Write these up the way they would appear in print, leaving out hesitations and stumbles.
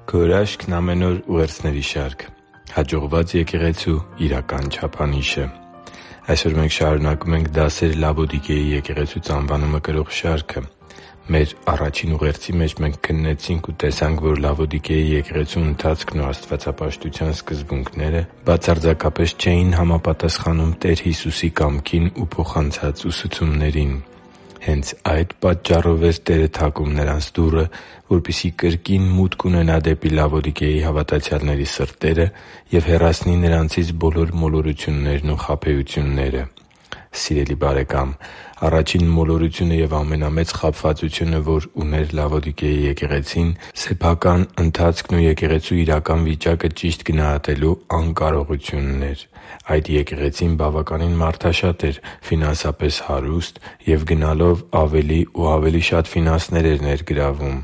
Քո հրաշքն ամեն օր ուղերձների շարք։ Հաջողված եկեղեցու իրական չափանիշը։ Այսօր մենք շարունակում ենք «Դասեր Լավոդիկեի եկեղեցուց» անվանումը կրող շարքը։ Մեր առաջին ուղերձի մեջ մենք քննեցինք ու տեսանք, որ Լավոդիկեի եկեղեցու ընթացքն ու աստվածապաշտության սկզբունքները բացարձակապես չէին համապատասխանում Տեր Հիսուսի կամքին ու փոխանցած ուսուցումներին։ Հենց այդ պատճառով էր Տերը թակում նրանց դուռը, որպեսզի կրկին մուտք ունենա դեպի Լավոդիկեի հավատացյալների սրտերը և հեռացնի նրանցից բոլոր մոլորություններն ու խաբեությունները։ Սիրելի՛ բարեկամ, առաջին մոլորությունը և ամենամեծ խաբվածությունը, որ ուներ Լավոդիկեի եկեղեցին, սեփական ընթացքն ու եկեղեցու իրական վիճակը ճիշտ գնահատելու անկարողությունն էր։ Այդ եկեղեցին բավականին մարդաշատ էր, ֆինանսապես հարուստ և գնալով ավելի ու ավելի շատ ֆինանսներ էր ներգրավում։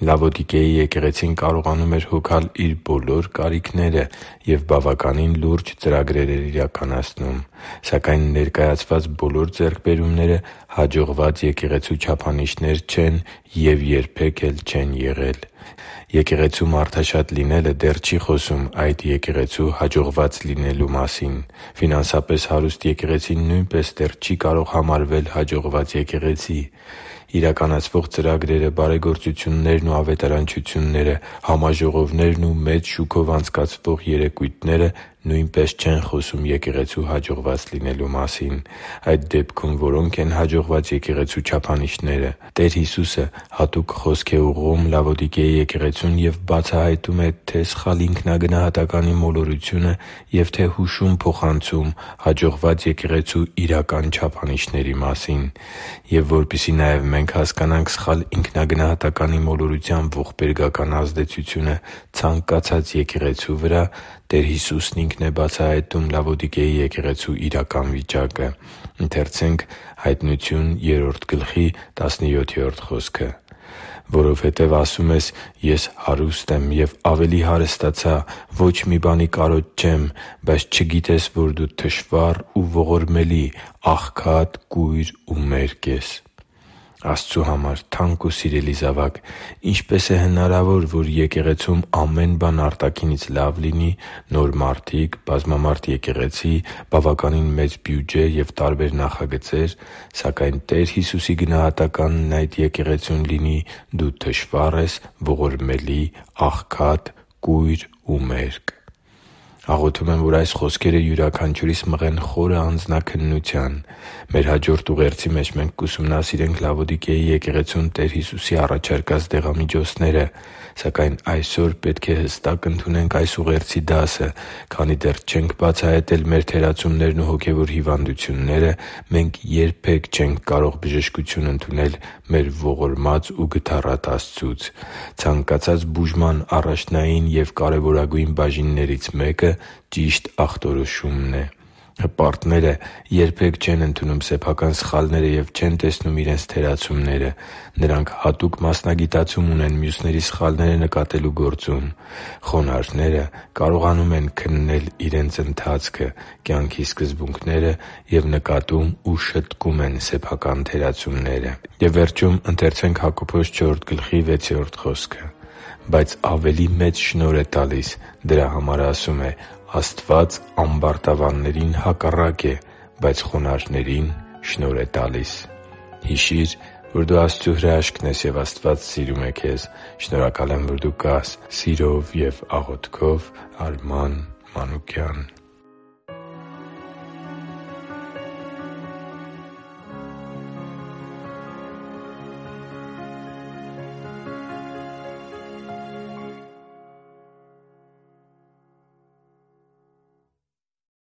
Լավոդիկեի եկեղեցին կարողանում էր հոգալ իր բոլոր կարիքները և բավականին լուրջ ծրագրեր էր իրականացնում։ Սակայն ներկայացված բոլոր ձեռքբերումները հաջողված եկեղեցու չափանիշներ չեն և երբեք էլ չեն եղել։ Եկեղեցու մարդաշատ լինելը դեռ չի խոսում այդ եկեղեցու հաջողված լինելու մասին։ Ֆինանսապես հարուստ եկեղեցին նույնպես դեռ չի կարող համարվել հաջողված եկեղեցի։ Իրականացվող ծրագրերը, բարեգործություններն ու ավետարանչությունները, համաժողովներն ու մեծ շուքով անցկացվող երեկույթները նույնպես չեն խոսում եկեղեցու հաջողված լինելու մասին։ Այդ դեպքում որո՞նք են հաջողված եկեղեցու չափանիշները։ Տեր Հիսուսը հատուկ խոսք է ուղղում Լավոդիկեի եկեղեցուն և բացահայտում է թե՛ սխալ ինքնագնահատականի մոլորությունը և թե՛ հուշում փոխանցում հաջողված եկեղեցու իրական չափանիշների մասին։ Եվ որպեսզի նաև մենք հասկանանք սխալ ինքնագնահատականի մոլորության ողբերգական ազդեցությունը ցանկացած եկեղեցու վրա, Տեր Հիսուսն Ինքն է բացահայտում Լավոդիկեի եկեղեցու իրական վիճակը։ «Որովհետև ասում ես. «Ես հարուստ եմ և ավելի հարստացա, ոչ մի բանի կարոտ չեմ», բայց չգիտես, որ դու թշվառ ու ողորմելի, աղքատ, կույր ու մերկ ես» (Հայտնություն 3․17): Աստծու համար թանկ ու սիրելի՛ զավակ, ինչպե՞ս է հնարավոր, որ եկեղեցում ամեն բան արտաքինից լավ լինի՝ նոր մարդիկ, բազմամարդ եկեղեցի, բավականին մեծ բյուջե և տարբեր նախագծեր, սակայն Տեր Հիսուսի գնահատականն այդ եկեղեցուն լինի՝ դու թշվառ ես, ողորմելի, աղքատ, կույր ու մերկ։ Աղոթում եմ, որ այս խոսքերը յուրաքանչյուրիս մղեն խորը անձնաքննության։ Մեր հաջորդ ուղերձի մեջ մենք կուսումնասիրենք Լավոդիկեի եկեղեցուն Տեր Հիսուսի առաջարկած դեղամիջոցները։ Սակայն այսօր պետք է հստակ ընդունենք այս ուղերձի դասը՝ քանի դեռ չենք բացահայտել մեր թերացումներն ու հոգևոր հիվանդությունները, մենք երբե՛ք չենք կարող բժշկություն ընդունել մեր ողորմած ու գթառատ Աստծուց։ Ցանկացած բուժման առաջնային և կարևորագույն բաժիններից մեկը ճիշտ ախտորոշումն է։ Հպարտները երբե՛ք չեն ընդունում սեփական սխալները և չեն տեսնում իրենց թերացումները։ Նրանք հատուկ մասնագիտացում ունեն մյուսների սխալները նկատելու գործում։ Խոնարհները կարողանում են քննել իրենց ընթացքը, կյանքի սկզբունքները և նկատում ու շտկում են սեփական թերացումները։ «Բայց ավելի մեծ շնորհ է տալիս. դրա համար ասում է. «Աստված ամբարտավաններին հակառակ է, բայց խոնարհներին շնորհ է տալիս»» (Հակոբոս 4․6): Հիշի՛ր, որ դու Աստծո հրաշքն ես, և Աստված սիրում է քեզ։ Շնորհակալ եմ, որ դու կա՛ս։ Սիրով և աղոթքով, Արման Մանուկյան։